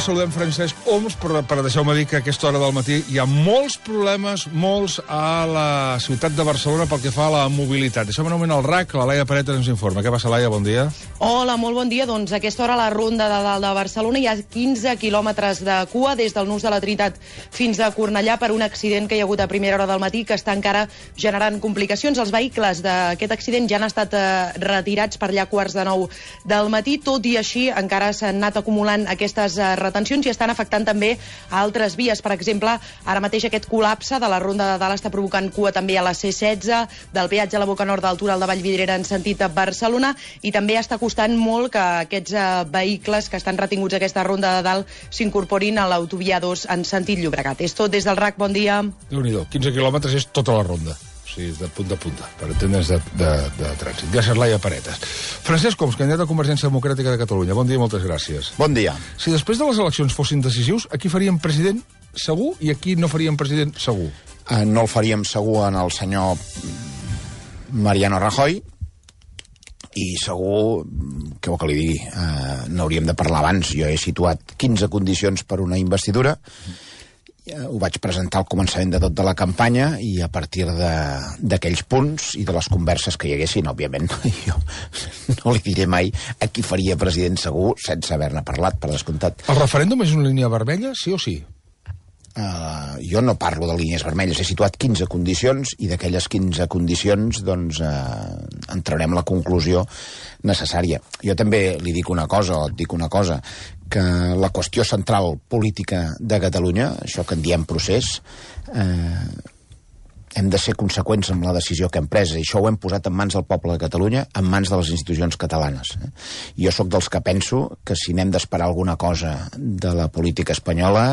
saludem Francesc Homs, però deixeu-me dir que a aquesta hora del matí hi ha molts problemes, molts a la ciutat de Barcelona pel que fa a la mobilitat. Deixem un moment al RAC, la Laia Paretes ens informa. Què passa, Laia? Bon dia. Hola, molt bon dia. Doncs a aquesta hora a la Ronda de Dalt de Barcelona hi ha 15 quilòmetres de cua des del Nus de la Trinitat fins a Cornellà per un accident que hi ha hagut a primera hora del matí que està encara generant complicacions. Els vehicles d'aquest accident ja han estat retirats per allà a 8:45 del matí. Tot i així, encara s'han anat acumulant aquestes retencions i estan afectant també a altres vies. Per exemple, ara mateix aquest col·lapse de la Ronda de Dalt està provocant cua també a la C16, del peatge a la Boca Nord del túnel de Vallvidrera en sentit a Barcelona, i també està costant molt que aquests vehicles que estan retinguts a aquesta Ronda de Dalt s'incorporin a l'autovia 2 en sentit Llobregat. És tot des del RAC, bon dia. Déu-n'hi-do, 15 quilòmetres és tota la ronda. O sigui, de punta a punta, per entendre's de trànsit. Gràcies, Laia Paretes. Francesc Homs, candidat a Convergència Democràtica de Catalunya. Bon dia i moltes gràcies. Bon dia. Si després de les eleccions fossin decisius, aquí faríem president segur i aquí no faríem president segur? No el faríem segur en el senyor Mariano Rajoy i segur, què vol que li digui, n'hauríem de parlar abans. Jo he situat 15 condicions per una investidura. Ho vaig presentar al començament de tot de la campanya i a partir d'aquells punts i de les converses que hi haguessin, òbviament, jo no li diré mai a qui faria president segur sense haver-ne parlat, per descomptat. El referèndum és una línia vermella, sí o sí? Jo no parlo de línies vermelles, he situat 15 condicions i d'aquelles 15 condicions doncs en traurem la conclusió necessària. Jo també li dic una cosa, et dic una cosa, que la qüestió central política de Catalunya, això que en diem procés, hem de ser conseqüents amb la decisió que hem pres, i això ho hem posat en mans del poble de Catalunya, en mans de les institucions catalanes. Jo sóc dels que penso que si n'hem d'esperar alguna cosa de la política espanyola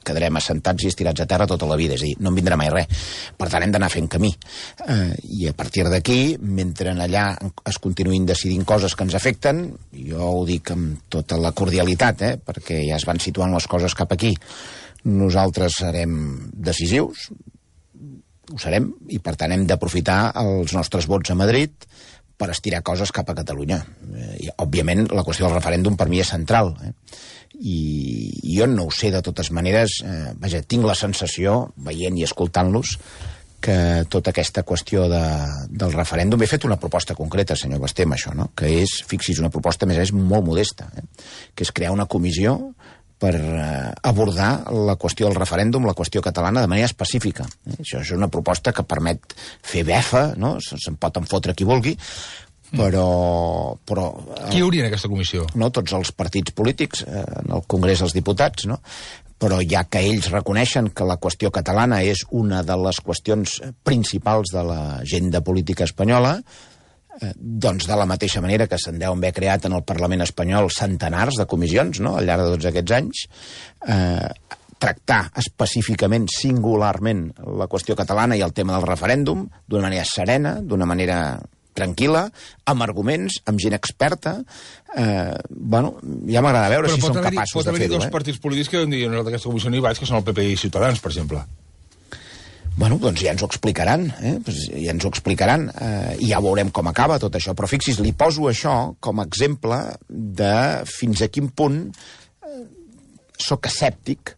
quedarem assentats i estirats a terra tota la vida, és a dir, no en vindrà mai res. Per tant, hem d'anar fent camí. I a partir d'aquí, mentre allà es continuïn decidint coses que ens afecten, jo ho dic amb tota la cordialitat, perquè ja es van situant les coses cap aquí, nosaltres serem decisius, ho serem, i per tant hem d'aprofitar els nostres vots a Madrid per estirar coses cap a Catalunya. I, òbviament, la qüestió del referèndum per mi és central. I jo no ho sé, de totes maneres, tinc la sensació, veient i escoltant-los, que tota aquesta qüestió del referèndum... He fet una proposta concreta, senyor Basté, amb això, no? Que és, fixi's, una proposta, més és molt modesta, que és crear una comissió per abordar la qüestió del referèndum, la qüestió catalana, de manera específica. Això és una proposta que permet fer befa, no? Se'n pot enfotre qui vulgui, però qui hi hauria en aquesta comissió? No, tots els partits polítics, en el Congrés dels Diputats, no? Però ja que ells reconeixen que la qüestió catalana és una de les qüestions principals de l'agenda política espanyola, doncs de la mateixa manera que se'n deuen haver creat en el Parlament espanyol centenars de comissions, no?, al llarg de tots aquests anys, tractar específicament, singularment, la qüestió catalana i el tema del referèndum d'una manera serena, d'una manera tranquil·la, amb arguments, amb gent experta. Bueno, ja m'agrada veure si som capaços de fer-ho. Pot haver-hi dos partits polítics que deuen dir nosaltres d'aquesta comissió no hi vaig, que són el PP i Ciutadans, per exemple. Bueno, doncs ja ens ho explicaran, ja ens ho explicaran, i ja veurem com acaba tot això. Però fixi's, li poso això com a exemple de fins a quin punt sóc escèptic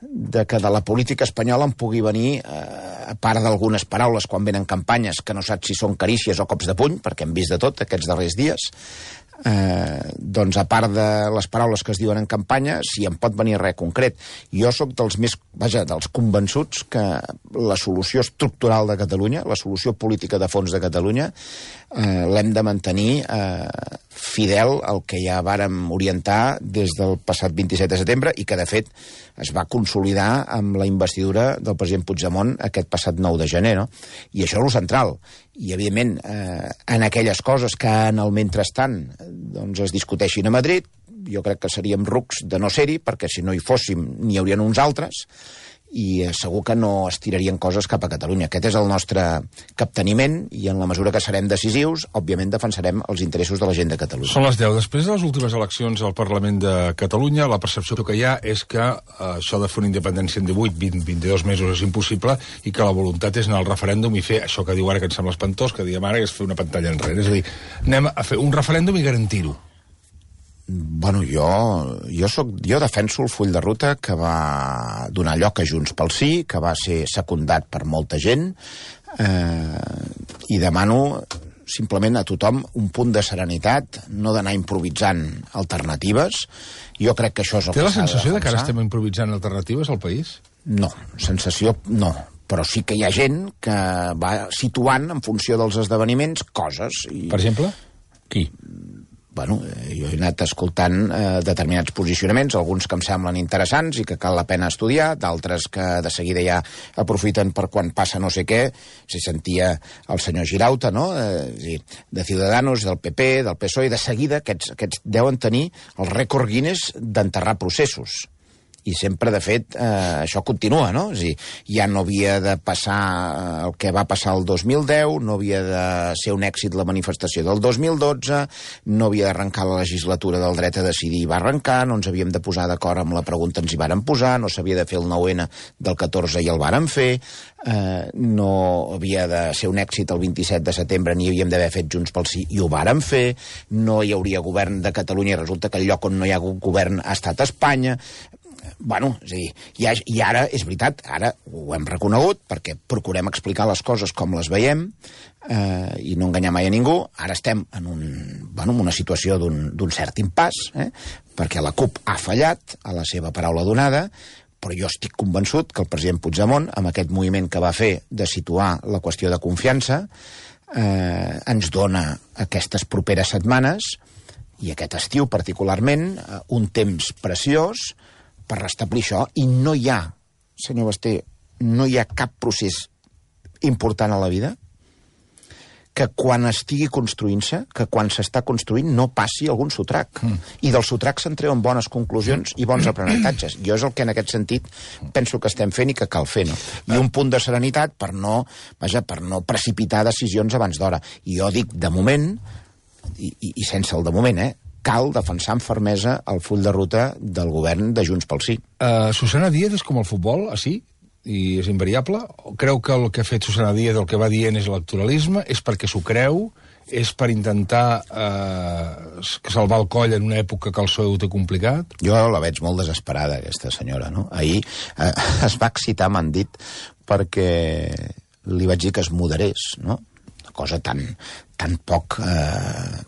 de que de la política espanyola en pugui venir, a part d'algunes paraules quan venen campanyes que no saps si són carícies o cops de puny, perquè hem vist de tot aquests darrers dies, doncs a part de les paraules que es diuen en campanya, si en pot venir res concret. Jo sóc dels convençuts que la solució estructural de Catalunya, la solució política de fons de Catalunya, l'hem de mantenir fidel al que ja vàrem orientar des del passat 27 de setembre i que, de fet, es va consolidar amb la investidura del president Puigdemont aquest passat 9 de gener, no? I això és el central. I, evidentment, en aquelles coses que en el mentrestant doncs, es discuteixin a Madrid, jo crec que seríem rucs de no ser-hi, perquè si no hi fóssim n'hi haurien uns altres, i segur que no estirarien coses cap a Catalunya. Aquest és el nostre capteniment i en la mesura que serem decisius, òbviament defensarem els interessos de la gent de Catalunya. Són les 10. Després de les últimes eleccions al Parlament de Catalunya, la percepció que hi ha és que això de fer una independència en 22 mesos és impossible i que la voluntat és anar al referèndum i fer això que diu ara, que ens sembla espantós, que diem ara, que és fer una pantalla enrere. És a dir, anem a fer un referèndum i garantir-ho. Bueno, jo defenso el full de ruta que va donar lloc a Junts pel Sí, que va ser secundat per molta gent, i demano simplement a tothom un punt de serenitat, no d'anar improvisant alternatives. Jo crec que això és el que s'ha de defensar. Té la sensació que ara estem improvisant alternatives al país? No, sensació no. Però sí que hi ha gent que va situant en funció dels esdeveniments coses. Per exemple? Qui? Bueno, jo he anat escoltant determinats posicionaments, alguns que em semblen interessants i que cal la pena estudiar, d'altres que de seguida ja aprofiten per quan passa no sé què. Si sentia el senyor Girauta, no? De Ciudadanos, del PP, del PSOE, de seguida aquests deuen tenir el rècord Guinness d'enterrar processos. I sempre, de fet, això continua, no? És a dir, ja no havia de passar el que va passar el 2010, no havia de ser un èxit la manifestació del 2012, no havia d'arrencar la legislatura del dret a decidir i va arrencar, no ens havíem de posar d'acord amb la pregunta, ens hi vàrem posar, no s'havia de fer el 9N del 14 i el vàrem fer, no havia de ser un èxit el 27 de setembre ni havíem d'haver fet Junts pel Sí i ho vàrem fer, no hi hauria govern de Catalunya i resulta que el lloc on no hi ha hagut govern ha estat Espanya. Bueno, és a dir, i ara, és veritat, ara ho hem reconegut perquè procurem explicar les coses com les veiem i no enganyar mai a ningú. Ara estem en una situació d'un cert impàs, perquè la CUP ha fallat a la seva paraula donada, però jo estic convençut que el president Puigdemont, amb aquest moviment que va fer de situar la qüestió de confiança, ens dona aquestes properes setmanes, i aquest estiu particularment, un temps preciós per restablir això, i no hi ha, senyor Basté, no hi ha cap procés important a la vida que quan estigui construint-se, que quan s'està construint no passi algun sotrac. I del sotrac se'n treuen bones conclusions i bons aprenentatges. Jo és el que en aquest sentit penso que estem fent i que cal fer, no? I un punt de serenitat per no precipitar decisions abans d'hora. I jo dic, de moment, i sense el de moment, cal defensar amb fermesa el full de ruta del govern de Junts pel Sí. Susana Díaz és com el futbol, així? I és invariable? O creu que el que ha fet Susana Díaz, el que va dient és electoralisme? És perquè s'ho creu? És per intentar salvar el coll en una època que el PSOE ho té complicat? Jo la veig molt desesperada, aquesta senyora, no? Ahir es va excitar, m'han dit, perquè li vaig dir que es moderés, no? Una cosa tan poc,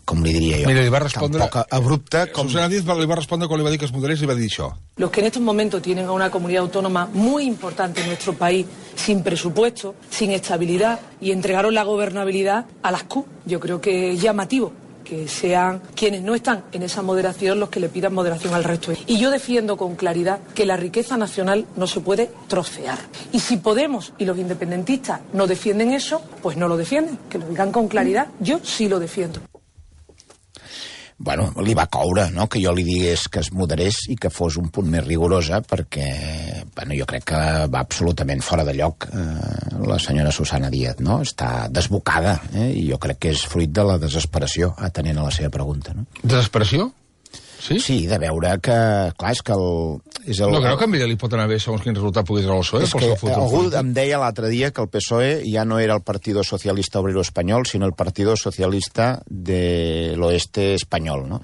com li diria jo, mira, li va respondre, tan poc abrupta com... Susana Díaz li va respondre quan li va dir que es moderés, li va dir això. Los que en estos momentos tienen a una comunidad autónoma muy importante en nuestro país, sin presupuesto, sin estabilidad, y entregaron la gobernabilidad a las CUP. Yo creo que es llamativo que sean quienes no están en esa moderación los que le pidan moderación al resto. Y yo defiendo con claridad que la riqueza nacional no se puede trocear. Y si Podemos y los independentistas no defienden eso, pues no lo defienden, que lo digan con claridad. Yo sí lo defiendo. Bueno, li va coure, no?, que jo li digués que es moderés i que fos un punt més rigorosa, perquè, bueno, jo crec que va absolutament fora de lloc la senyora Susana Díaz, no? Està desbocada, i jo crec que és fruit de la desesperació, atenent a la seva pregunta, no? Desesperació? Sí? Sí, de veure que, clar, és que no creu que a ella li pot anar bé segons quin resultat pugui treure el PSOE? És que algú em deia l'altre dia que el PSOE ja no era el Partido Socialista Obrero Espanyol, sinó el Partido Socialista de l'Oeste Espanyol, no?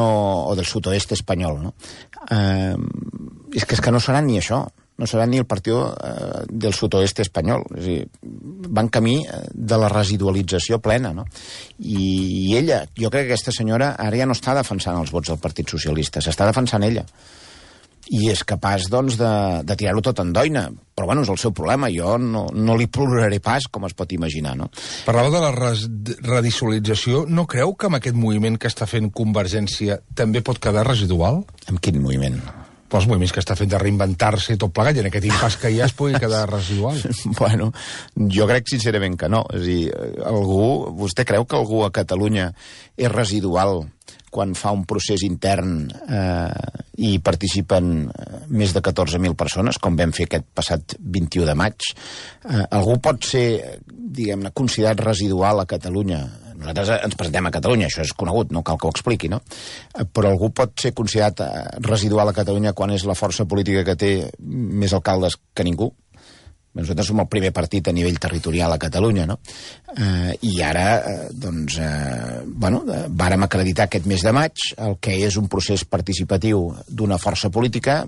O del Sudoeste Espanyol, no? És que no serà ni això. No serà ni el Partit del Sud-oest espanyol. És a dir, van camí de la residualització plena, no? I ella, jo crec que aquesta senyora ara ja no està defensant els vots del Partit Socialista, s'està defensant ella. I és capaç, doncs, de tirar-ho tot en doina. Però, bueno, és el seu problema. Jo no li ploraré pas, com es pot imaginar, no? Parlava de la radicalització. No creu que amb aquest moviment que està fent Convergència també pot quedar residual? Amb quin moviment? Els moviments que està fent de reinventar-se i tot plegat, i en aquest impàs que hi ha es pugui quedar residual. Bueno, jo crec sincerament que no. És a dir, vostè creu que algú a Catalunya és residual quan fa un procés intern i participen més de 14.000 persones, com vam fer aquest passat 21 de maig? Algú pot ser, diguem-ne, considerat residual a Catalunya? Nosaltres ens presentem a Catalunya, això és conegut, no cal que ho expliqui, no? Però algú pot ser considerat residual a Catalunya quan és la força política que té més alcaldes que ningú? Nosaltres som el primer partit a nivell territorial a Catalunya, no? I ara, vàrem acreditar aquest mes de maig el que és un procés participatiu d'una força política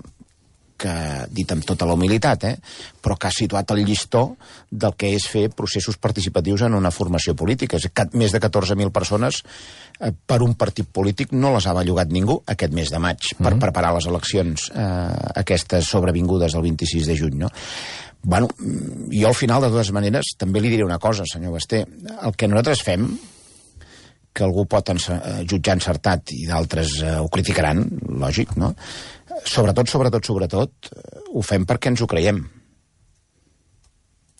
que, dit amb tota la humilitat, però que ha situat el llistó del que és fer processos participatius en una formació política. Més de 14.000 persones per un partit polític no les ha bellugat ningú aquest mes de maig per preparar les eleccions aquestes sobrevingudes el 26 de juny, no? Bueno, jo al final, de totes maneres, també li diré una cosa, senyor Basté. El que nosaltres fem, que algú pot jutjar encertat i d'altres ho criticaran, lògic, no? Sobretot, ho fem perquè ens ho creiem.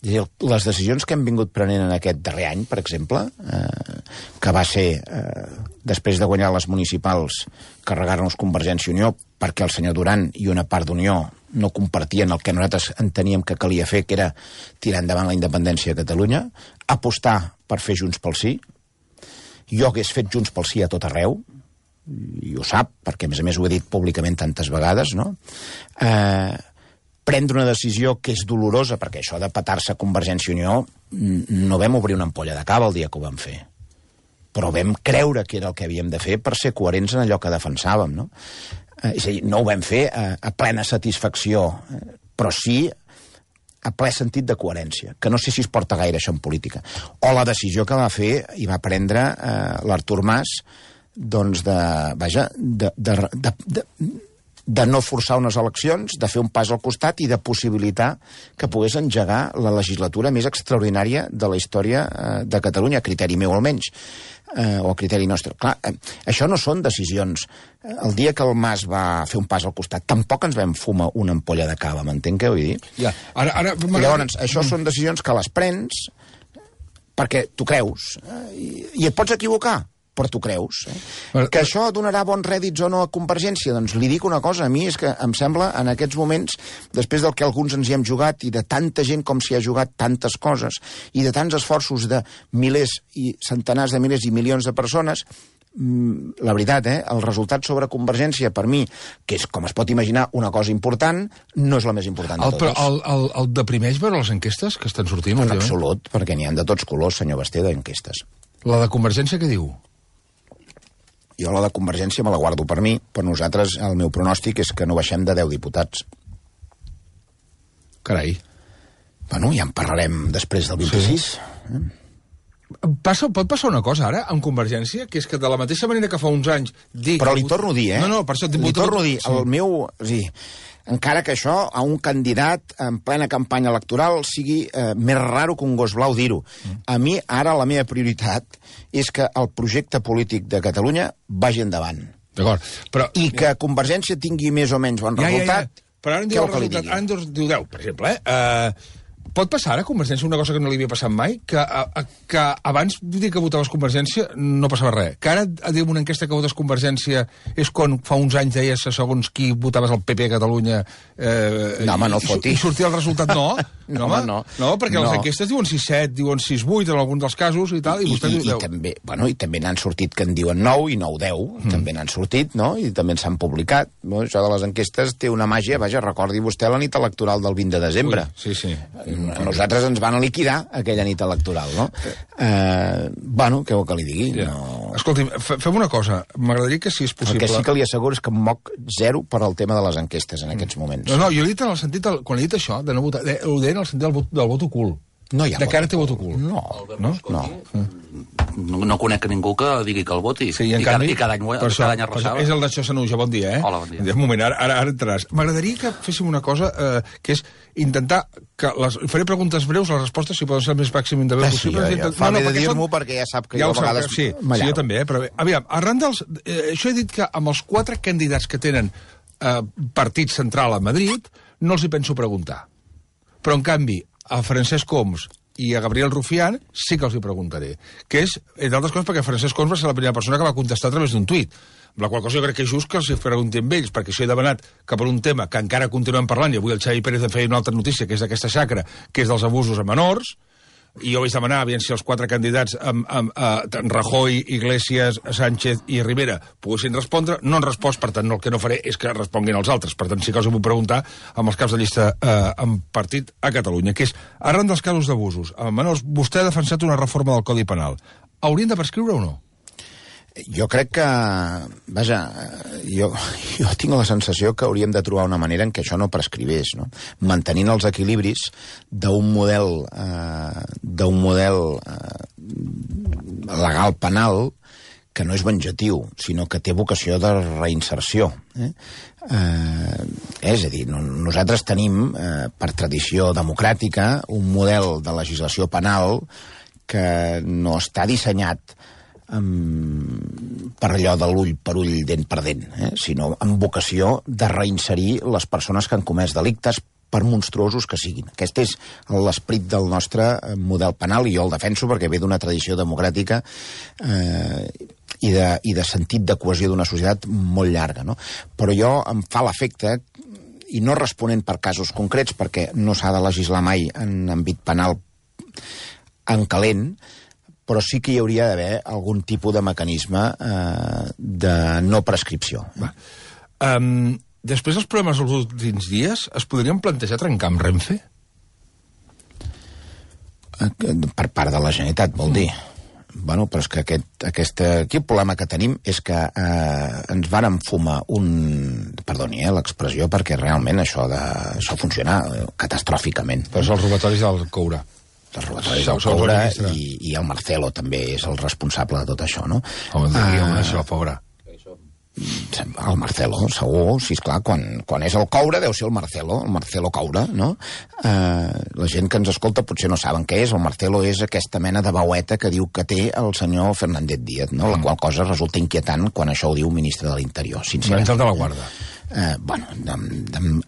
Les decisions que hem vingut prenent en aquest darrer any, per exemple, que va ser, després de guanyar les municipals, carregar-nos Convergència i Unió, perquè el senyor Duran i una part d'Unió no compartien el que nosaltres enteníem que calia fer, que era tirar endavant la independència de Catalunya, apostar per fer Junts pel Sí. Jo hagués fet Junts pel Sí a tot arreu, i ho sap, perquè a més ho he dit públicament tantes vegades, no? Prendre una decisió que és dolorosa, perquè això de petar-se a Convergència i Unió no vam obrir una ampolla de cava el dia que ho vam fer, però vam creure que era el que havíem de fer per ser coherents en allò que defensàvem, no? És a dir, no ho vam fer a plena satisfacció, però sí a ple sentit de coherència, que no sé si es porta gaire això en política. O la decisió que va fer i va prendre l'Artur Mas, doncs de no forçar unes eleccions, de fer un pas al costat i de possibilitar que pogués engegar la legislatura més extraordinària de la història de Catalunya, a criteri meu almenys, o a criteri nostre. Clar, això no són decisions. El dia que el Mas va fer un pas al costat, tampoc ens vam fumar una ampolla de cava, m'entenc què vull dir? Ja. Llavors, això són decisions que les prens perquè tu creus, i et pots equivocar, però tu creus. Que això donarà bons rèdits o no a Convergència? Doncs li dic una cosa, a mi és que em sembla, en aquests moments, després del que alguns ens hi hem jugat, i de tanta gent com s'hi ha jugat tantes coses, i de tants esforços de milers i centenars de milers i milions de persones, la veritat, el resultat sobre Convergència, per mi, que és, com es pot imaginar, una cosa important, no és la més important de totes. El deprimeix veure les enquestes que estan sortint? En absolut, perquè n'hi ha de tots colors, senyor Basté, d'enquestes. La de Convergència què diu? Jo la de Convergència me la guardo per mi, però nosaltres, el meu pronòstic és que no baixem de 10 diputats. Carai. Bueno, ja en parlarem després del 26. Sí. Pot passar una cosa ara, amb Convergència, que és que de la mateixa manera que fa uns anys... Però li torno a dir, No, per això... Li torno a dir, el meu... Sí, encara que això a un candidat en plena campanya electoral sigui més raro que un gos blau dir-ho. A mi, ara, la meva prioritat és que el projecte polític de Catalunya vagi endavant. D'acord, però... I que Convergència tingui més o menys bon resultat. Però ara en diu el resultat, ara en diu 10, per exemple, Pot passar ara a Convergència una cosa que no li havia passat mai? Que abans dir que votaves Convergència no passava res. Que ara, diguem, una enquesta que votes Convergència és quan fa uns anys deies segons qui votaves el PP a Catalunya... No, home, no foti. I sortia el resultat no. No, home, no. No, perquè les enquestes diuen 6-7, diuen 6-8 en alguns dels casos i tal, i vostè diu 10. I també n'han sortit que en diuen 9 i 9-10. També n'han sortit, no? I també s'han publicat. Això de les enquestes té una màgia, vaja, recordi vostè la nit electoral del 20 de desembre. Sí, sí. Nosaltres ens van liquidar aquella nit electoral, no? Què vol que li digui? Ja. No... Escolti'm, fem una cosa. M'agradaria que, si és possible... El que sí que li asseguro és que em moc zero per al tema de les enquestes en aquests moments. No, jo he dit en el sentit... Quan he dit això, de no votar... Ho deia en el sentit del vot ocult. No hi ha de cara té vot ocult. No conec ningú que digui que el voti. Sí, i cada any arrasava. És el d'Això Sanuja, bon dia, Hola, bon dia. Un moment, ara entraràs. M'agradaria que féssim una cosa, que és intentar que faré preguntes breus, les respostes, si poden ser el més màxim de bé possible. Fa bé de dir-m'ho perquè ja sap que jo a vegades... Sí, jo també, però bé. Aviam, arran dels... Això he dit que amb els 4 candidats que tenen partit central a Madrid, no els hi penso preguntar. Però, en canvi, a Francesc Homs i a Gabriel Rufián sí que els hi preguntaré. Que és, entre altres coses, perquè Francesc Homs va ser la primera persona que va contestar a través d'un tuit. Amb la qual cosa jo crec que és just que els hi preguntem ells, perquè si he demanat que per un tema que encara continuem parlant, i avui el Xavi Pérez feia una altra notícia, que és d'aquesta xacra, que és dels abusos a menors, i jo vaig demanar aviam si els 4 candidats, Rajoy, Iglesias, Sánchez i Rivera, poguessin respondre. No han respost, per tant, el que no faré és que responguin els altres. Per tant, sí que us ho vull preguntar amb els caps de llista en partit a Catalunya, que és, arran dels casos d'abusos, Manol, vostè ha defensat una reforma del Codi Penal. Haurien de prescriure o no? Jo crec que... Vaja, jo tinc la sensació que hauríem de trobar una manera en què això no prescrivés, no? Mantenint els equilibris d'un model legal penal que no és venjatiu, sinó que té vocació de reinserció. És a dir, nosaltres tenim, per tradició democràtica, un model de legislació penal que no està dissenyat per allò de l'ull per ull, dent per dent, sinó amb vocació de reinserir les persones que han comès delictes, per monstruosos que siguin. Aquest és l'esperit del nostre model penal, i jo el defenso perquè ve d'una tradició democràtica i de sentit de cohesió d'una societat molt llarga, no? Però jo em fa l'efecte, i no responent per casos concrets, perquè no s'ha de legislar mai en àmbit penal en calent, però sí que hi hauria d'haver algun tipus de mecanisme de no prescripció. Després dels problemes dels últims dies, es podrien plantejar trencar amb Renfe? Per part de la Generalitat, vol dir. Bueno, però és que aquí el problema que tenim és que ens van enfumar perdoni, l'expressió, perquè realment això funciona catastròficament. Però és els robatoris del Coure. Els robatoris del Coure, i el Marcelo també és el responsable de tot això, no? Home, això, pobre. El Marcelo, segur, sí, esclar, quan és el Coure deu ser el Marcelo Coure, no? La gent que ens escolta potser no saben què és. El Marcelo és aquesta mena de veueta que diu que té el senyor Fernández Díaz, no? La qual cosa resulta inquietant quan això ho diu un ministre de l'Interior, sincerament. L'Àngel de la Guarda.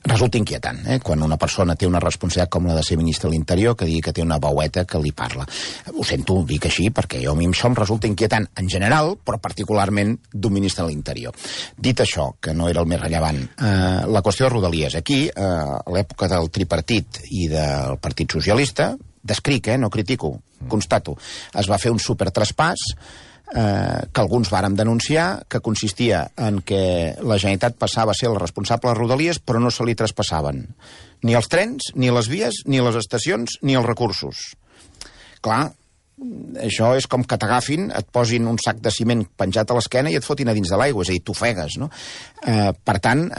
Resulta inquietant, quan una persona té una responsabilitat com la de ser ministre de l'Interior, que digui que té una veueta que li parla. Ho sento, ho dic així, perquè a mi això em resulta inquietant en general, però particularment d'un ministre de l'Interior. Dit això, que no era el més rellevant, la qüestió de Rodalies. Aquí, a l'època del tripartit i del Partit Socialista, descric, no critico, constato, es va fer un supertraspàs que alguns vàrem denunciar, que consistia en que la Generalitat passava a ser el responsable de Rodalies, però no se li traspassaven ni els trens, ni les vies, ni les estacions, ni els recursos. Clar, això és com que t'agafin, et posin un sac de ciment penjat a l'esquena i et fotin a dins de l'aigua, és a dir, t'ofegues, no? Per tant,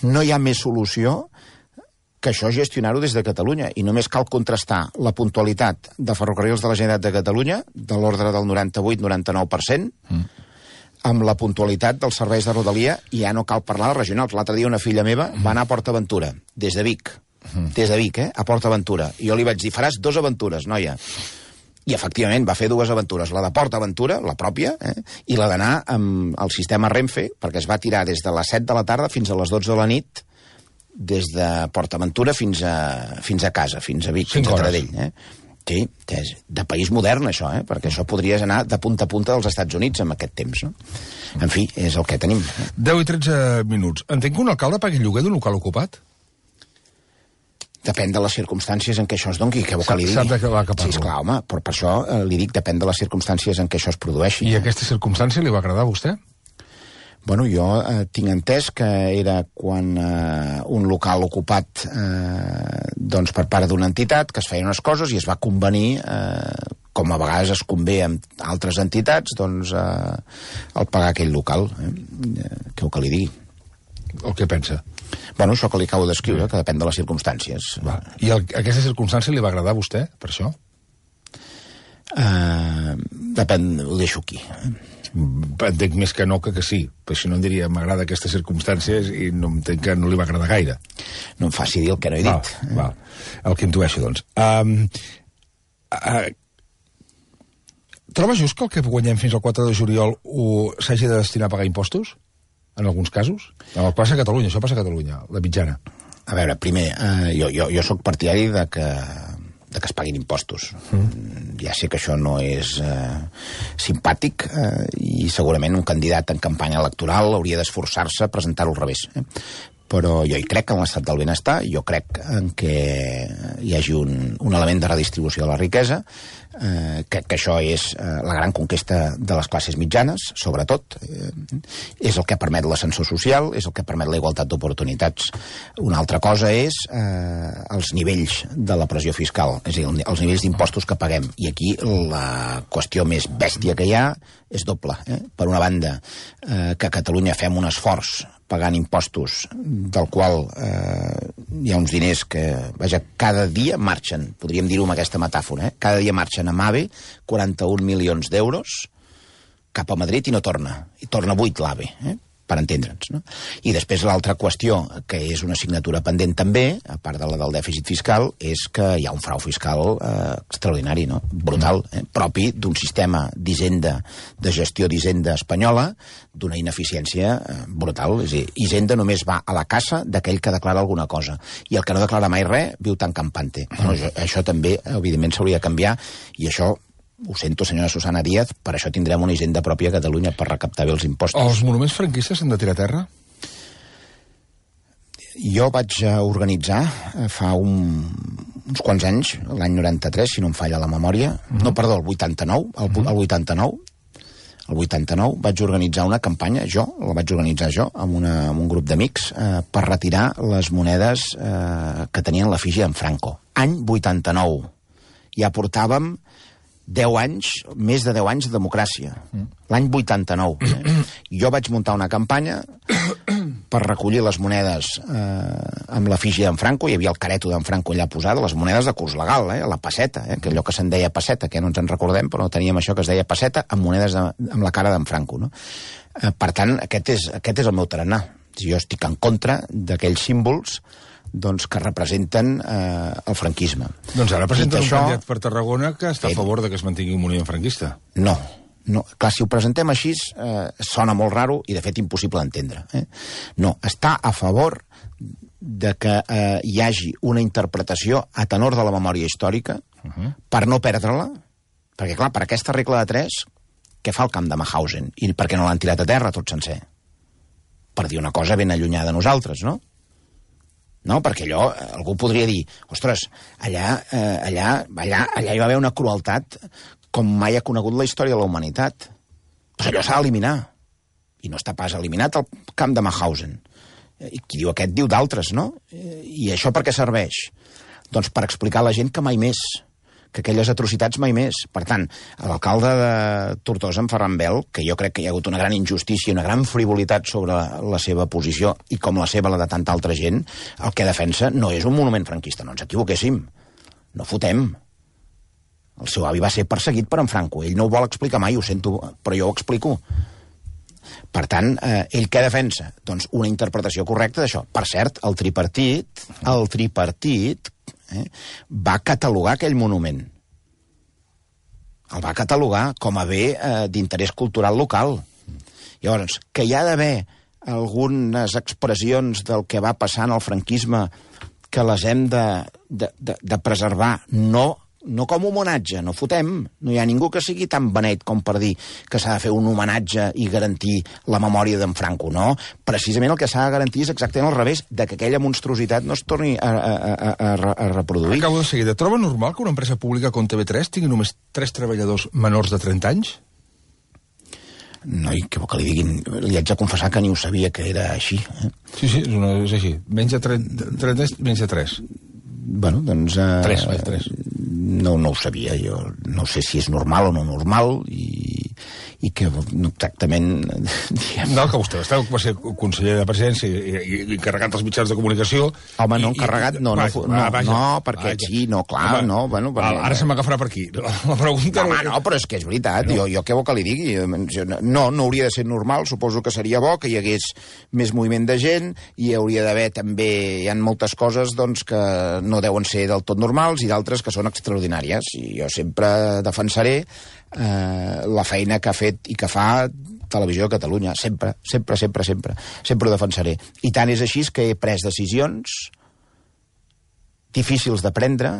no hi ha més solució que això gestionar-ho des de Catalunya, i només cal contrastar la puntualitat de Ferrocarrils de la Generalitat de Catalunya, de l'ordre del 98-99%, amb la puntualitat dels serveis de Rodalia, i ja no cal parlar de regionals. L'altre dia una filla meva va anar a Port Aventura, des de Vic, a Port Aventura, i jo li vaig dir, faràs 2 aventures, noia. I, efectivament, va fer 2 aventures, la de Port Aventura, la pròpia, i la d'anar amb el sistema Renfe, perquè es va tirar des de les 7 de la tarda fins a les 12 de la nit, des de Port Aventura fins a casa, fins a Vic, fins a Taradell. Sí, és de país modern, això, perquè això podries anar de punta a punta dels Estats Units en aquest temps, no? En fi, és el que tenim. 10 i 13 minuts. Entenc que un alcalde pagui lloguer d'un local ocupat? Depèn de les circumstàncies en què això es doni, què vol que li digui. S'ha d'acabar que parlo. Sí, esclar, home, però per això li dic, depèn de les circumstàncies en què això es produeixi. I aquesta circumstància li va agradar a vostè? Bueno, jo tinc entès que era quan un local ocupat doncs per part d'una entitat, que es feien unes coses i es va convenir, com a vegades es convé amb altres entitats, doncs el pagar aquell local. Què vol que li digui? El que pensa? Bueno, això que li acabo d'escriure, que depèn de les circumstàncies. I aquesta circumstància li va agradar a vostè, per això? Depèn, ho deixo aquí. Entenc més que no que sí, però si no em diria m'agrada aquestes circumstàncies, i no entenc que no li va agradar gaire. No em faci dir el que no he dit. Val. El que intueixo, doncs. Troba just que el que guanyem fins al 4 de juliol s'hagi de destinar a pagar impostos? En alguns casos? No, passa a Catalunya, això passa a Catalunya, la mitjana. A veure, primer, jo sóc partidari de que es paguin impostos. Ja sé que això no és simpàtic, i segurament un candidat en campanya electoral hauria d'esforçar-se a presentar-ho al revés. però jo hi crec en l'estat del benestar, jo crec en que hi hagi un element de redistribució de la riquesa, que això és la gran conquesta de les classes mitjanes, sobretot. És el que permet l'ascensor social, és el que permet la igualtat d'oportunitats. Una altra cosa és els nivells de la pressió fiscal, és a dir, els nivells d'impostos que paguem. I aquí la qüestió més bèstia que hi ha és doble. Per una banda, que a Catalunya fem un esforç pagant impostos, del qual hi ha uns diners que, vaja, cada dia marxen, podríem dir-ho amb aquesta metàfora, cada dia marxen amb AVE 41 milions d'euros cap a Madrid i no torna. I torna 8 l'AVE, per entendre'ns, no? I després l'altra qüestió, que és una assignatura pendent també, a part de la del dèficit fiscal, és que hi ha un frau fiscal extraordinari, no? Brutal, propi d'un sistema d'Hisenda, de gestió d'Hisenda espanyola, d'una ineficiència brutal. És a dir, Hisenda només va a la casa d'aquell que declara alguna cosa, i el que no declara mai res viu tan campante. Bueno, això també, evidentment, s'hauria de canviar, i això, ho sento, senyora Susana Díaz, per això tindrem una hisenda pròpia a Catalunya per recaptar bé els impostos. Els monuments franquistes s'han de tirar a terra? Jo vaig organitzar fa uns quants anys, l'any 93, si no em falla la memòria, no, perdó, el 89, el 89 vaig organitzar una campanya, la vaig organitzar jo, amb un grup d'amics, per retirar les monedes que tenien l'efígie d'en Franco. Any 89. Ja portàvem 10 anys, més de 10 anys de democràcia. L'any 89. Jo vaig muntar una campanya per recollir les monedes amb l'efígie d'en Franco. Hi havia el careto d'en Franco allà posada, les monedes de curs legal, la pesseta, que allò que se'n deia pesseta, que no ens en recordem, però teníem això que es deia pesseta, amb monedes amb la cara d'en Franco, no? Per tant, aquest és el meu tarannà. Jo estic en contra d'aquells símbols que representen el franquisme. Doncs ara presenten un candidat per Tarragona que està a favor de que es mantingui un monument franquista. No. Clar, si ho presentem així, sona molt raro i, de fet, impossible d'entendre. No, està a favor de que hi hagi una interpretació a tenor de la memòria històrica per no perdre-la, perquè, clar, per aquesta regla de 3, què fa el camp de Mauthausen? I per què no l'han tirat a terra tot sencer? Per dir una cosa ben allunyada de nosaltres, no? No, perquè allò, algú podria dir, ostres, allà hi va haver una crueltat com mai ha conegut la història de la humanitat. Doncs allò s'ha d'eliminar. I no està pas eliminat el camp de Mauthausen. I qui diu aquest diu d'altres, no? I això per què serveix? Doncs per explicar a la gent que mai més, que aquelles atrocitats mai més. Per tant, l'alcalde de Tortosa, en Ferran Bel, que jo crec que hi ha hagut una gran injustícia, una gran frivolitat sobre la seva posició, i com la seva, la de tanta altra gent, el que defensa no és un monument franquista, no ens equivoquéssim. No fotem. El seu avi va ser perseguit per en Franco. Ell no ho vol explicar mai, ho sento, però jo ho explico. Per tant, ell què defensa? Doncs una interpretació correcta d'això. Per cert, el tripartit va catalogar aquell monument. El va catalogar com a bé d'interès cultural local. Llavors, que hi ha d'haver algunes expressions del que va passar en el franquisme que les hem de preservar, no com a homenatge, no fotem. No hi ha ningú que sigui tan beneit com per dir que s'ha de fer un homenatge i garantir la memòria d'en Franco, no. Precisament el que s'ha de garantir és exactament al revés, de que aquella monstruositat no es torni a reproduir. Acabo de seguida. Troba normal que una empresa pública com TV3 tingui només 3 treballadors menors de 30 anys? No, i què vol que li diguin? Li haig de confessar que ni ho sabia que era així. Sí, és així. Menys de 30, menys de 3. Bueno, doncs... 3. No ho sabia, jo no sé si és normal o no normal, i que exactament... No, que vostè va ser conseller de Presidència i encarregat dels mitjans de comunicació... Home, no, encarregat, no, perquè sí, no, clar, no... Ara se m'agafarà per aquí. La pregunta... Home, no, però és que és veritat, jo què vol que li digui? No hauria de ser normal, suposo que seria bo que hi hagués més moviment de gent, i hi hauria d'haver també... Hi ha moltes coses, doncs, que no deuen ser del tot normals i d'altres que són extraordinàries, i jo sempre defensaré la feina que ha fet i que fa Televisió de Catalunya, sempre ho defensaré. I tant és així que he pres decisions difícils de prendre,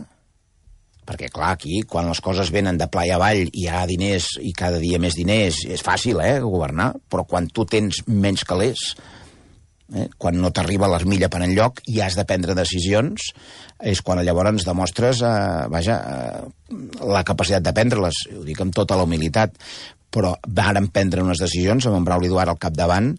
perquè clar, aquí quan les coses venen de pla i avall i hi ha diners i cada dia més diners, és fàcil governar, però quan tu tens menys calés Quan no t'arriba l'armilla per enlloc i has de prendre decisions, és quan llavors demostres la capacitat de prendre-les. Ho dic amb tota la humilitat, però vàrem prendre unes decisions amb en Brauli Duart al capdavant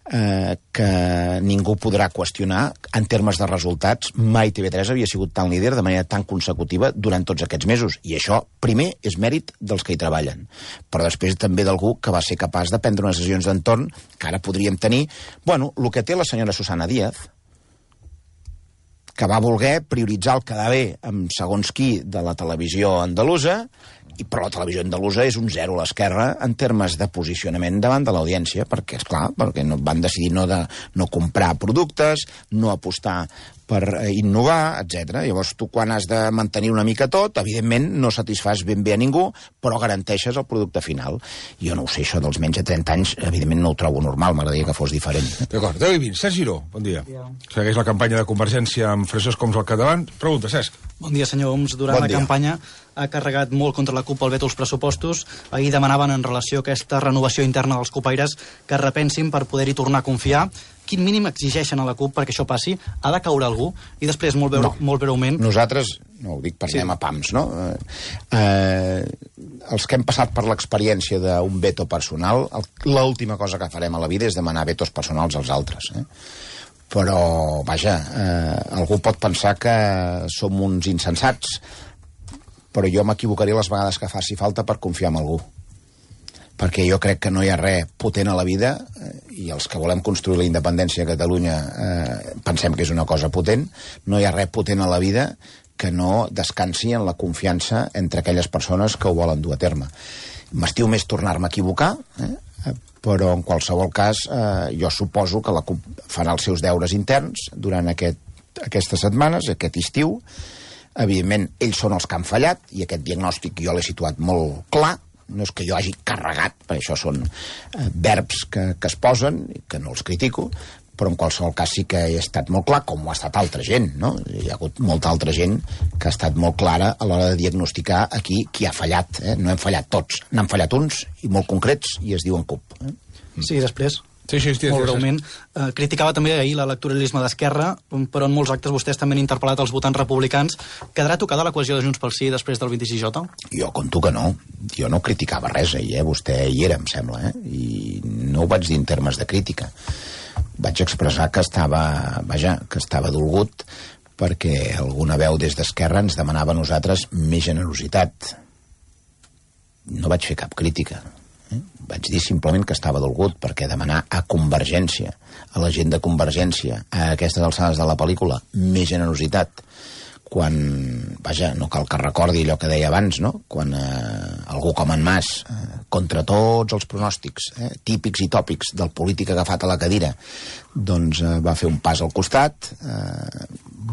que ningú podrà qüestionar en termes de resultats. Mai TV3 havia sigut tan líder de manera tan consecutiva durant tots aquests mesos, i això, primer, és mèrit dels que hi treballen, però després també d'algú que va ser capaç de prendre unes decisions d'entorn que ara podríem tenir. Bueno, el que té la senyora Susana Díaz, que va voler prioritzar el quedar bé amb segons qui de la televisió andalusa, però la televisió andalusa és un zero a l'esquerra en termes de posicionament davant de l'audiència, perquè, esclar, perquè van decidir no comprar productes, no apostar per innovar, etc. Llavors, tu quan has de mantenir una mica tot, evidentment no satisfàs ben bé a ningú, però garanteixes el producte final. Jo no ho sé, això dels menys de 30 anys, evidentment no ho trobo normal, m'agradaria que fos diferent. D'acord, 10 i 20. Cesc Giró, bon dia. Segueix la campanya de Convergència amb Francesc Homs al capdavant. Pregunta, Cesc. Bon dia, senyor Homs. Durant la campanya ha carregat molt contra la CUP el veto als pressupostos. Ahir demanaven en relació a aquesta renovació interna dels copaires que repensin per poder-hi tornar a confiar. Quin mínim exigeixen a la CUP perquè això passi? Ha de caure algú? I després, molt breument... Nosaltres, no ho dic per anem a pams, no? Els que hem passat per l'experiència d'un veto personal, l'última cosa que farem a la vida és demanar vetos personals als altres, Però, vaja, algú pot pensar que som uns insensats, però jo m'equivocaré les vegades que faci falta per confiar en algú. Perquè jo crec que no hi ha res potent a la vida, i els que volem construir la independència a Catalunya pensem que és una cosa potent, no hi ha res potent a la vida que no descansi en la confiança entre aquelles persones que ho volen dur a terme. M'estiu més tornar-me a equivocar, però en qualsevol cas jo suposo que la CUP farà els seus deures interns durant aquestes setmanes, aquest estiu. Evidentment, ells són els que han fallat, i aquest diagnòstic jo l'he situat molt clar. No és que jo hagi carregat, perquè això són verbs que es posen, que no els critico, però en qualsevol cas sí que he estat molt clar, com ho ha estat altra gent, no? Hi ha hagut molta altra gent que ha estat molt clara a l'hora de diagnosticar aquí qui ha fallat. No hem fallat tots, n'han fallat uns, i molt concrets, i es diuen CUP. Sí, després... Sí, molt breument. Criticava també ahir l'electoralisme d'Esquerra, però en molts actes vostès també han interpel·lat els votants republicans. Quedarà tocada la cohesió de Junts pel Sí després del 26J? Jo conto que no. Jo no criticava res ahir, Vostè hi era, em sembla, i no ho vaig dir en termes de crítica. Vaig expressar que estava dolgut perquè alguna veu des d'Esquerra ens demanava a nosaltres més generositat. No vaig fer cap crítica. Vaig dir simplement que estava dolgut perquè demanar a Convergència, a la gent de Convergència, a aquestes alçades de la pel·lícula, més generositat, quan, no cal que recordi allò que deia abans, no? Quan algú com en Mas, contra tots els pronòstics típics i tòpics del polític agafat a la cadira, doncs va fer un pas al costat,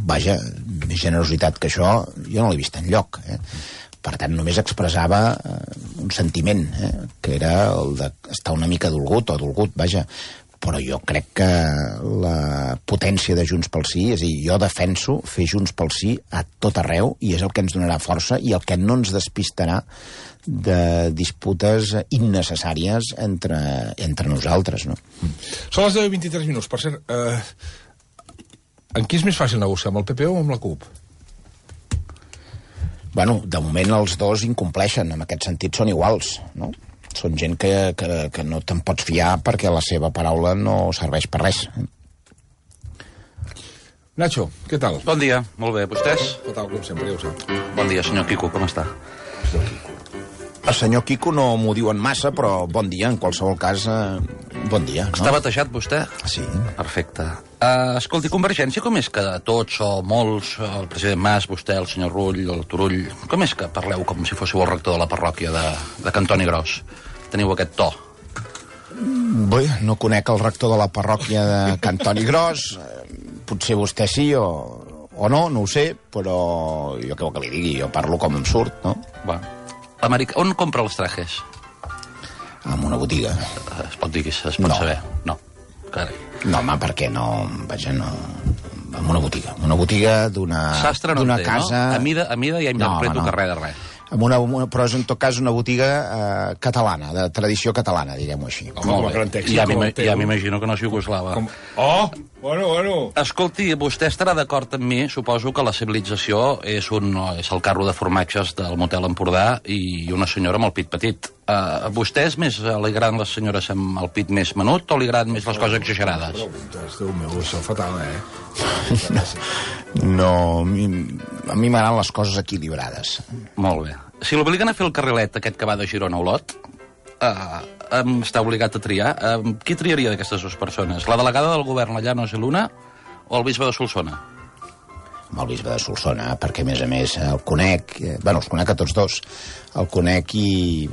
més generositat que això jo no l'he vist enlloc, Per tant, només expressava un sentiment, que era el d'estar una mica dolgut, però jo crec que la potència de Junts pel Sí, és a dir, jo defenso fer Junts pel Sí a tot arreu, i és el que ens donarà força i el que no ens despistarà de disputes innecessàries entre nosaltres, no? Són les 10:23 minuts. Per cert, en qui és més fàcil negociar, amb el PP o amb la CUP? Bueno, de moment els dos incompleixen, en aquest sentit són iguals, no? Són gent que no te'n pots fiar perquè la seva paraula no serveix per res. Nacho, què tal? Bon dia, molt bé, vostès? Fatal, com sempre, ja ho sap. Bon dia, senyor Quico, com està? El senyor Quico no m'ho diuen massa, però bon dia, en qualsevol cas, bon dia, no? Està batejat, vostè? Sí. Perfecte. Escolti, Convergència, com és que tots o molts, el president Mas, vostè, el senyor Rull, el Turull, com és que parleu com si fóssiu el rector de la parròquia de Cantoni Gros? Teniu aquest to? Bé, no conec el rector de la parròquia de Cantoni Gros, potser vostè sí o no ho sé, però jo què vol que li digui, jo parlo com em surt, no? Bueno. On compra els trajes? En una botiga. Es pot dir que es pot saber? No. Carai. No, home, perquè no... no... En una botiga d'una Sastre no d'una té, casa... no? A mida ja em preto que res de res. Però és en tot cas una botiga catalana, de tradició catalana, diguem-ho així. Ja m'imagino que no és iugoslava. Bueno. Escolti, vostè estarà d'acord amb mi, suposo que la civilització és el carro de formatges del motel Empordà i una senyora amb el pit petit. A vostè li agraden les senyores amb el pit més menut o li agraden més les coses exagerades? Déu meu, això fatal, No, a mi m'agraden les coses equilibrades. Molt bé. Si l'obliguen a fer el carrilet aquest que va de Girona a Olot, està obligat a triar. Qui triaria d'aquestes dues persones? La delegada del govern, la Llanos i Luna, o el bisbe de Solsona? Amb el bisbe de Solsona, perquè, a més, el conec... els conec a tots dos. El conec i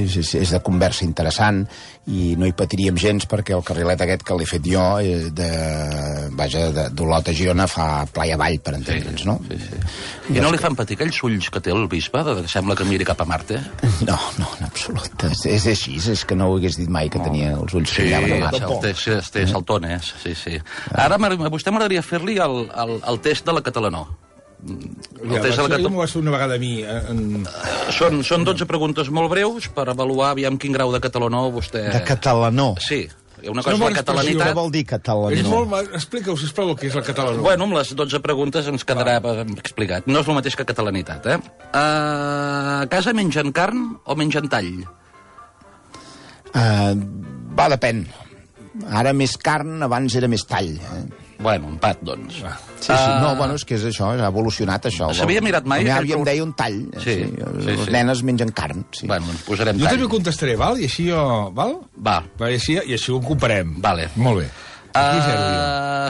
és de conversa interessant i no hi patiríem gens perquè el carrilet aquest que l'he fet jo d'Olot a Girona fa playa avall, per entendre'ns, no? Sí. I no li fan patir aquells ulls que té el bisbe, que sembla que miri cap a Marte? No, en absolut. És així, és que no ho hagués dit mai que tenia els ulls que llaven a Marte. Sí, té saltones, sí. Ara a vostè m'agradaria fer-li el test de la catalanó. M'ho vas fer una vegada a mi. Són 12 preguntes molt breus per avaluar aviam quin grau de catalanó vostè... De catalanó? Sí. Una cosa és la catalanitat... Què vol dir catalanó? Explica-ho, sisplau, el que és la catalanó. Bueno, amb les 12 preguntes ens quedarà explicat. No és el mateix que catalanitat, A casa mengen carn o mengen tall? Depèn. Ara més carn, abans era més tall. Bueno, empat, doncs. Sí, no, és que és això, ha evolucionat això. S'havia mirat mai... A mi em deia un tall. Sí. Les nenes mengen carn. Bueno, doncs posarem tall. Jo també contestaré, val? I així jo... Val? Va. I així ho comparem. Vale. Molt bé.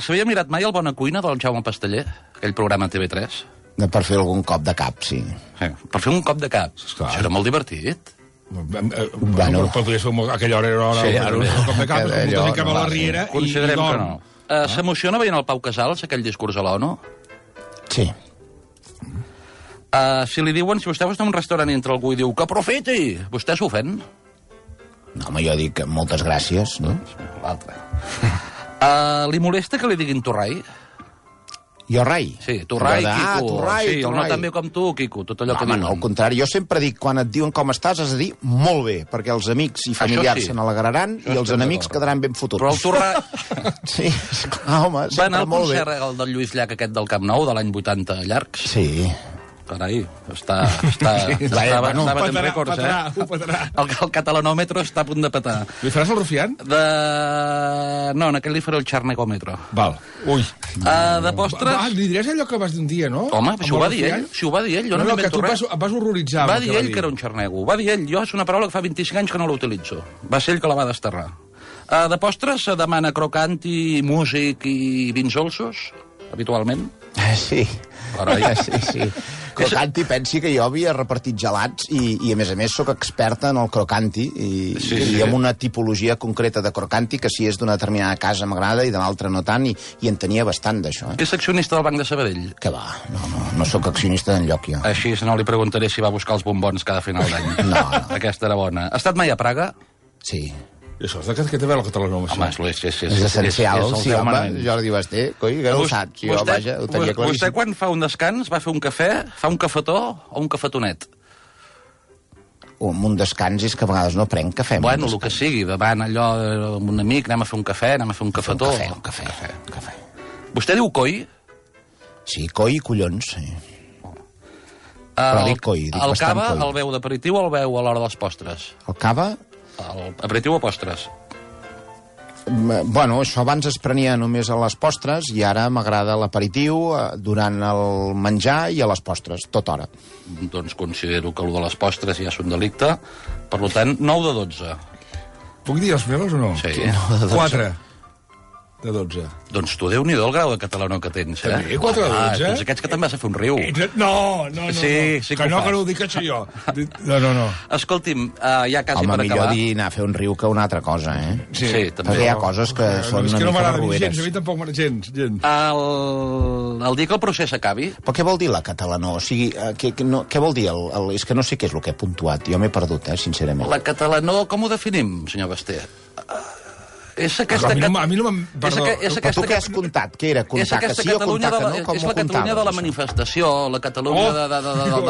S'havia mirat mai el Bona Cuina del Jaume Pasteller? Aquell programa TV3? Per fer algun cop de cap, sí. Per fer un cop de cap. Això era molt divertit. Però podries fer aquella hora un cop de cap, un cap a la riera i dorm. S'emociona veient el Pau Casals, aquell discurs a l'ONU? Sí. Si li diuen, si vostè va a un restaurant i entra algú i diu que aprofiti, vostè s'ofèn? No, home, jo dic moltes gràcies, no? L'altre. Li molesta que li diguin Torrai? Jo rai? Sí, Torrai, Quico. Torrai, sí, el no tan bé com tu, Quico, tot allò que diuen. No, al contrari, jo sempre dic, quan et diuen com estàs, has de dir molt bé, perquè els amics i familiars se n'alegraran i els enemics quedaran ben fotuts. Però el Torrai... Sí, esclar, home, sempre molt bé. Va anar al concert el del Lluís Llach, aquest del Camp Nou, de l'any 80 llargs? Sí. Carai, estava en rècords, ho petarà. El catalanòmetro està a punt de petar. Li faràs el rufián? No, en aquell li faré el xarnecòmetro. Val. Ui. De postres... Li diràs allò que vas dir un dia, no? Home, si ho va dir ell, jo no m'invento res. Vas horroritzar. Va dir ell que era un xarnego, va dir ell. Jo és una paraula que fa 25 anys que no l'utilitzo. Va ser ell que la va desterrar. De postres se demana crocanti, músic i vins dolços, habitualment? Sí. Sí. Crocanti, pensi que jo havia repartit gelats i a més soc experta en el crocanti i amb una tipologia concreta de crocanti que si és d'una determinada casa m'agrada i de l'altra no tant i en tenia bastant d'això. Que és accionista del Banc de Sabadell? Que va, no sóc accionista d'enlloc jo. Així no li preguntaré si va buscar els bombons cada final d'any. No. Aquesta era bona. Ha estat mai a Praga? Sí. I això és de què té a veure el català? Home, és essencial. Sí, home, Jordi Basté, coi, que no ho saps. Jo, vaja, ho tenia claríssim. Vostè, quan fa un descans, va fer un cafè, fa un cafetó o un cafetonet? Un descans és que a vegades no prenc cafè. Bueno, el que sigui, davant allò amb un amic, anem a fer un cafè, anem a fer un cafetó. Un cafè. Vostè diu coi? Sí, coi i collons, sí. Però dic coi, dic bastant coi. El cava el veu d'aperitiu o el veu a l'hora dels postres? El cava... Aperitiu o postres? Bueno, això abans es prenia només a les postres i ara m'agrada l'aperitiu durant el menjar i a les postres, tota hora. Doncs considero que el de les postres ja és un delicte. Per tant, 9 de 12. Puc dir els meus o no? Sí. 4 de 12. Doncs tu, Déu-n'hi-do el grau de català que tens, eh? També, 4 de 12? Doncs aquests que també vas a fer un riu. No. Sí, que no ho dic això jo. No. Escolti'm, ja quasi per acabar... Home, millor dir anar a fer un riu que una altra cosa, eh? Sí, també. Perquè hi ha coses que són una mica barrueres. A mi tampoc gens. El dia que el procés acabi... Però què vol dir la catalanó? O sigui, què vol dir? És que no sé què és el que he puntuat. Jo m'he perdut, sincerament. La catalanó, com ho definim, senyor Basté? És aquesta... A mi no me'n... Però tu què has comptat? Què era? Comptar que sí o comptar que no? Com és la Catalunya de la manifestació, la Catalunya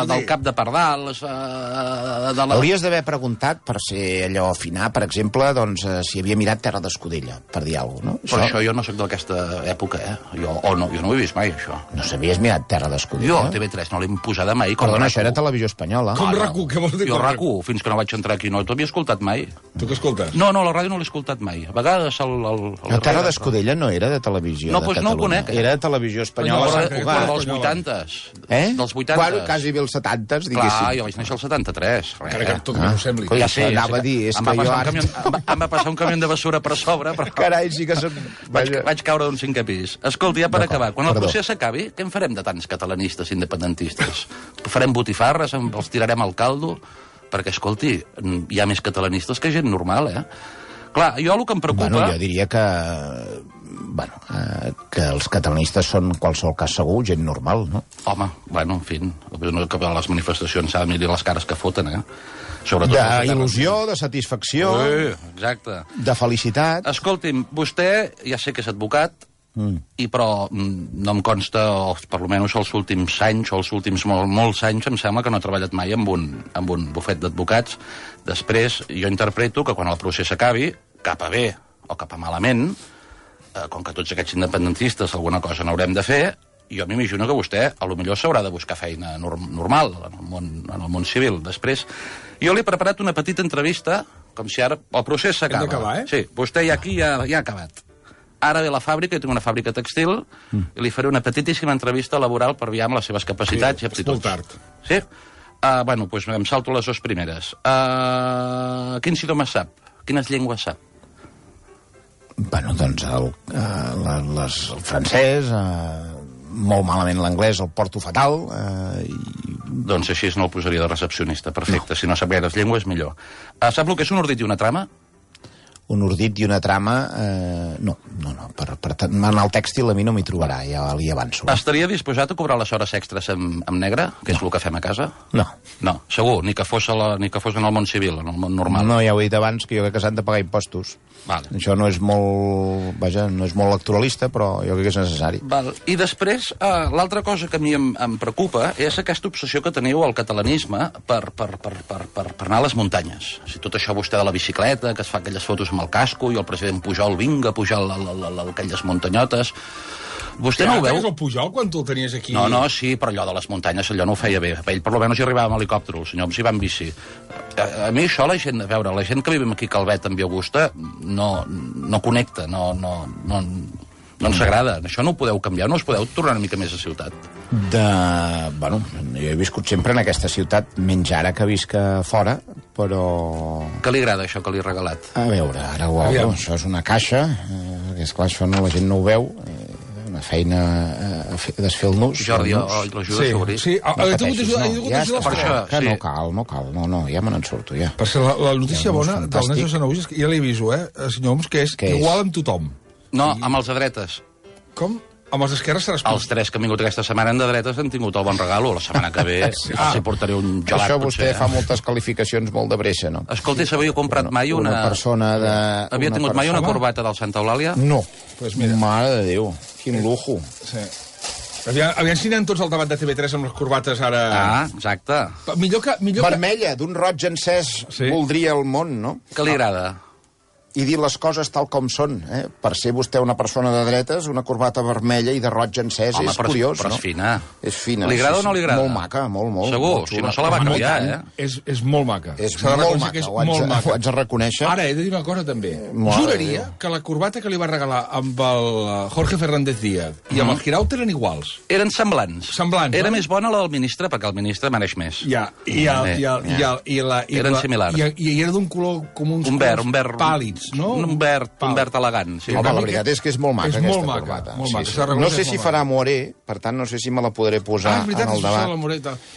del cap de pardals... Hauries d'haver preguntat, per ser allò afinar, per exemple, doncs, si havia mirat Terra d'Escudella, per dir alguna cosa, no? Però això jo no soc d'aquesta època, Jo no ho he vist mai, això. No s'havies mirat Terra d'Escudella? Jo, TV3, no l'he imposada mai. Perdona, això era televisió espanyola. Com RAC1, què vols dir? Jo RAC1, fins que no vaig entrar aquí, no t'havia escoltat mai. Tu què escoltes? No, la ràdio no l'he escoltat mai. A vegades La Terra d'Escudella no era de televisió de Catalunya. No ho conec. Era de televisió espanyola. Dels 80s. Dels 80s. Bueno, quasi bé els 70s, diguéssim. Clar, jo vaig néixer al 73. Encara que tot no ho sembli. Ja sé, anava a dir, és que jo ara... Em va passar un camió de basura per sobre, però... Carai, sí que soc... Vaig caure d'un 5è pis. Escolta, ja per acabar, quan el procés s'acabi, què en farem de tants catalanistes independentistes? Farem botifarres, els tirarem al caldo? Perquè, escolti, hi ha més catalanistes que gent normal, Clar, jo el que em preocupa... Bueno, jo diria que... que els catalanistes són, en qualsevol cas segur, gent normal, no? Home, en fi, que a les manifestacions s'ha de mirar les cares que foten, d'il·lusió, de satisfacció, exacte, de felicitat. Escolti'm, vostè, ja sé que és advocat, però no em consta, o per almenys els últims anys, o els últims molts anys, em sembla que no ha treballat mai amb un bufet d'advocats. Després, jo interpreto que quan el procés acabi, cap a bé o cap a malament, com que tots aquests independentistes alguna cosa n'haurem de fer, jo m'imagino que vostè a lo millor s'haurà de buscar feina normal en el món civil. Després, jo li he preparat una petita entrevista, com si ara el procés s'acaba. Hem d'acabar, Sí, vostè ja aquí ja ha acabat. Ara ve a la fàbrica, jo tinc una fàbrica textil, i li faré una petitíssima entrevista laboral per veure les seves capacitats i aptituds. És molt tard. Sí? Bueno, doncs em salto les dues primeres. Quins idiomes sap? Quines llengües sap? Bueno, doncs el francès, molt malament l'anglès, el porto fatal. Doncs així no el posaria de recepcionista, perfecte. No. Si no sap gaires llengües, millor. Sap el que és un ordit i una trama? Un ordit i una trama, no. Per tant, en el tèxtil a mi no m'hi trobarà, ja li avanço. Estaria disposat a cobrar les hores extres amb negre, que és el que fem a casa? No. No, segur, ni que fos en el món civil, en el món normal. No, ja ho he dit abans, que jo crec que s'han de pagar impostos. Vale. Això no és molt... Vaja, no és molt electoralista, però jo crec que és necessari. Val. I després, l'altra cosa que a mi em preocupa és aquesta obsessió que teniu al catalanisme per anar a les muntanyes. O sigui, tot això vostè de la bicicleta, que es fa aquelles fotos amb el casco, i el president Pujol vinga a pujar aquelles muntanyotes... Vostè no ho veu? El Pujol, quan tu el tenies aquí... No, sí, però allò de les muntanyes, allò no ho feia bé. Ell per almenys hi arribava amb helicòpter, el senyor hi va amb bici. A mi això, la gent que vivim aquí a Calvet amb Augusta, no connecta, no ens agrada. Això no ho podeu canviar, no us podeu tornar una mica més a ciutat. Bueno, jo he viscut sempre en aquesta ciutat, menys ara que visc fora, però... Què li agrada, això que li he regalat? A veure, ara ho obro. Això és una caixa, que esclar, això la gent no ho veu, una feina a desfer el nus. Jordi, l'ajuda a obrir. Sí, he tingut d'ajuda per això. Que no cal, ja me n'en surto, ja. Per ser la notícia bona del Nes de Sanouis, ja li aviso, senyor Homs, que és igual amb tothom. No, amb els de dretes. Com? Amb els d'esquerra seràs... Els tres que han vingut aquesta setmana de dretes han tingut el bon regalo. La setmana que ve els hi portaré un gelat. Això vostè fa moltes qualificacions molt de breixa, no? Escolti, s'havia comprat mai una persona de... Havia tingut mai una corbata del Santa Eulàlia? No. Mare de Déu, quin lujo. Sí. Aviam si anem tots al debat de TV3 amb les corbates ara... Exacte. Vermella, d'un roig encès, voldria el món, no? Què li agrada? I dir les coses tal com són. Per ser vostè una persona de dretes, una corbata vermella i de roig encès, és curiós, no? Però és fina. És fina. Li agrada o no li agrada? Molt maca, molt. Segur, si no se la va canviar, És molt maca. És molt maca, ho haig de reconèixer. Ara, he de dir una cosa, també. Juraria que la corbata que li va regalar amb el Jorge Fernández Díaz i amb el Girauta eren iguals. Eren semblants. Era més bona la del ministre, perquè el ministre mereix més. Ja, eren similars. I era d'un color com uns colors pàlids. No? Un verd elegant. Sí, la veritat és que és molt maca, aquesta corbata. No sé si farà moré, per tant, no sé si me la podré posar en el debat.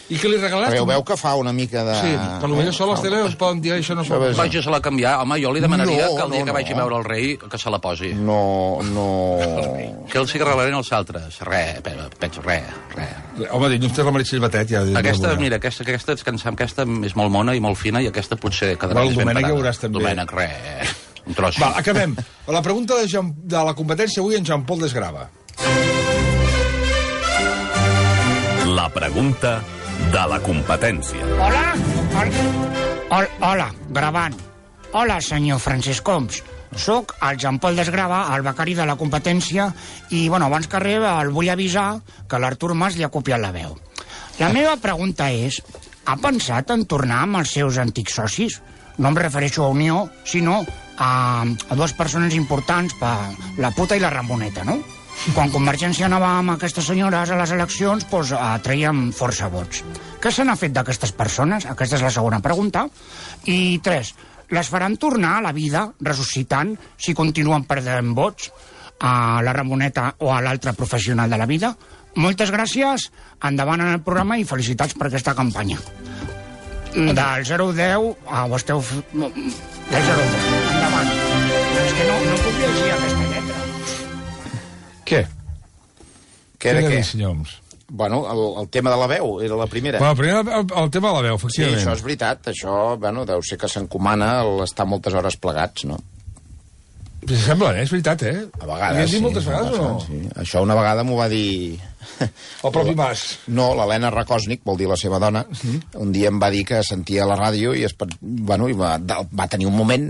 I què li regalaste? Perquè veu que fa una mica de... Sí, per potser sol les teles poden dir això no s'ho... Vagi-se-la canviar. Home, jo li demanaria que el dia que vagi a veure el rei que se la posi. No. Què els hi regalaran els altres? Res. Home, dilluns té la Meritxell Batet, ja. Aquesta és molt mona i molt fina, i aquesta potser quedarà més ben parada. El Domènec ja veuràs també. Domènec, res. Un tros. Va, acabem. La pregunta de la competència avui en Jean-Paul Desgrava. La pregunta de la competència. Hola, gravant. Hola, senyor Francesc Homs. Soc el Jean-Paul Desgrava, el becari de la competència, i, abans que res, el vull avisar que l'Artur Mas li ha copiat la veu. La meva pregunta és, ha pensat en tornar amb els seus antics socis? No em refereixo a Unió, sinó a dues persones importants, la puta i la Ramoneta, no? Quan Convergència anava amb aquestes senyores a les eleccions, traiem força vots. Què se n'ha fet d'aquestes persones? Aquesta és la segona pregunta. I 3, les faran tornar a la vida, ressuscitant, si continuen perdent vots, a la Ramoneta o a l'altre professional de la vida? Moltes gràcies, endavant en el programa i felicitats per aquesta campanya. Del 0 al 10, ho esteu... Del 0 al 10, endavant. És que no puc llegir aquesta lletra. Què? Què de què? Senyor Homs? Bueno, el tema de la veu era la primera. Bueno, primer el tema de la veu, efectivament. Sí, això és veritat. Això, deu ser que s'encomana l'estar moltes hores plegats, no? Si sembla, és veritat, A vegades, sí. Moltes vegades o no? Sí. Això una vegada m'ho va dir... El propi Mas. No, l'Helena Rakosnik, vol dir la seva dona, un dia em va dir que sentia la ràdio i va tenir un moment,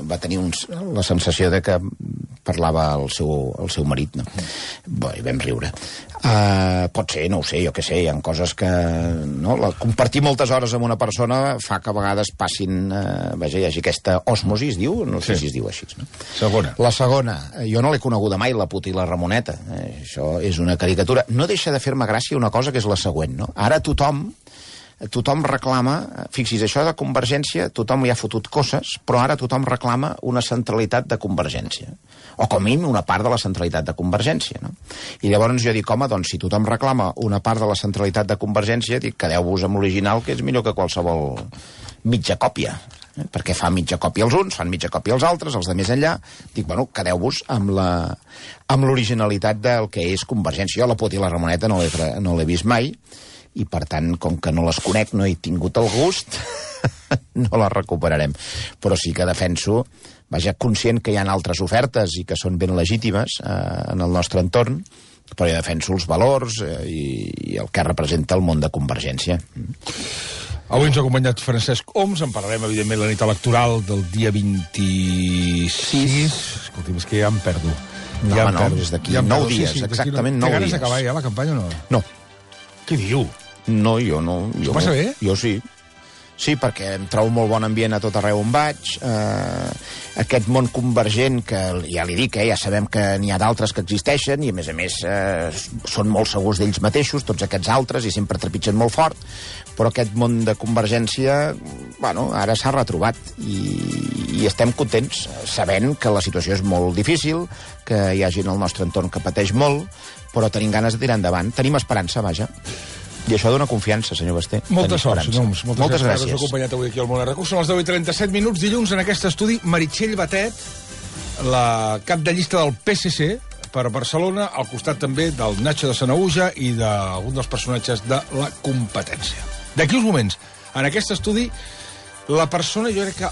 va tenir la sensació de que parlava el seu marit, no? Bé, vam riure. Pot ser, no ho sé, jo què sé, hi ha coses que... No? Compartir moltes hores amb una persona fa que a vegades passin... hi hagi aquesta osmosi, es diu? No sé si es diu així, no? Segona. La segona, jo no l'he coneguda mai, la puta i la Ramoneta. Això és una caricatura. No deixa de fer-me gràcia una cosa que és la següent, no? Ara tothom reclama, fixis, això de Convergència, tothom hi ha fotut coses, però ara tothom reclama una centralitat de Convergència. O com a mínim una part de la centralitat de Convergència, no? I llavors jo dic, home, doncs si tothom reclama una part de la centralitat de Convergència, dic, quedeu-vos amb l'original, que és millor que qualsevol mitja còpia. Perquè fa mitja còpia els uns, fan mitja còpia els altres, els de més enllà. Dic, bueno, quedeu-vos amb l'originalitat del que és Convergència. Jo la Puta i la Ramoneta no l'he vist mai, i per tant, com que no les conec, no he tingut el gust, no les recuperarem. Però sí que defenso, conscient que hi ha altres ofertes i que són ben legítimes en el nostre entorn, però jo defenso els valors i el que representa el món de Convergència. Avui ens ha acompanyat Francesc Homs, en parlarem, evidentment, la nit electoral del dia 26. Escolti'm, és que ja em perdo. No, des d'aquí 9 dies, exactament 9 dies. Té ganes d'acabar ja la campanya o no? No. Què diu? No, jo no. Ho passa bé? Jo sí. Sí, perquè em trobo molt bon ambient a tot arreu on vaig. Aquest món convergent, que ja li dic, ja sabem que n'hi ha d'altres que existeixen i, a més, són molt segurs d'ells mateixos, tots aquests altres, i sempre trepitgen molt fort, però aquest món de Convergència, ara s'ha retrobat i estem contents, sabent que la situació és molt difícil, que hi ha gent al nostre entorn que pateix molt, però tenim ganes de tirar endavant. Tenim esperança, vaja. I això dona confiança, senyor Basté. Molta sort, senyor Homs. Moltes gràcies. Us acompanyat avui aquí al Món RQ. Són les 10:37 minuts. Dilluns, en aquest estudi, Meritxell Batet, la cap de llista del PSC per Barcelona, al costat també del Nacho de Sanaüja i d'algun dels personatges de la competència. D'aquí uns moments, en aquest estudi, la persona, jo crec que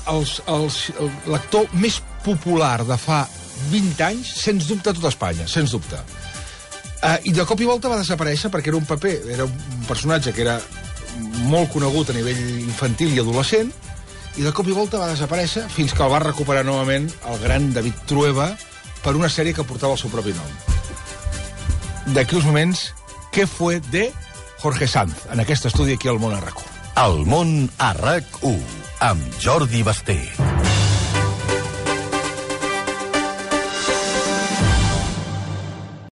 l'actor més popular de fa 20 anys, sens dubte, a tot Espanya, sens dubte. I de cop i volta va desaparèixer perquè era un paper, era un personatge que era molt conegut a nivell infantil i adolescent, i de cop i volta va desaparèixer fins que el va recuperar novament el gran David Trueba per una sèrie que portava el seu propi nom. D'aquí uns moments, què fue de Jorge Sanz, en aquest estudi aquí al Món RQ. El Món RQ, amb Jordi Basté.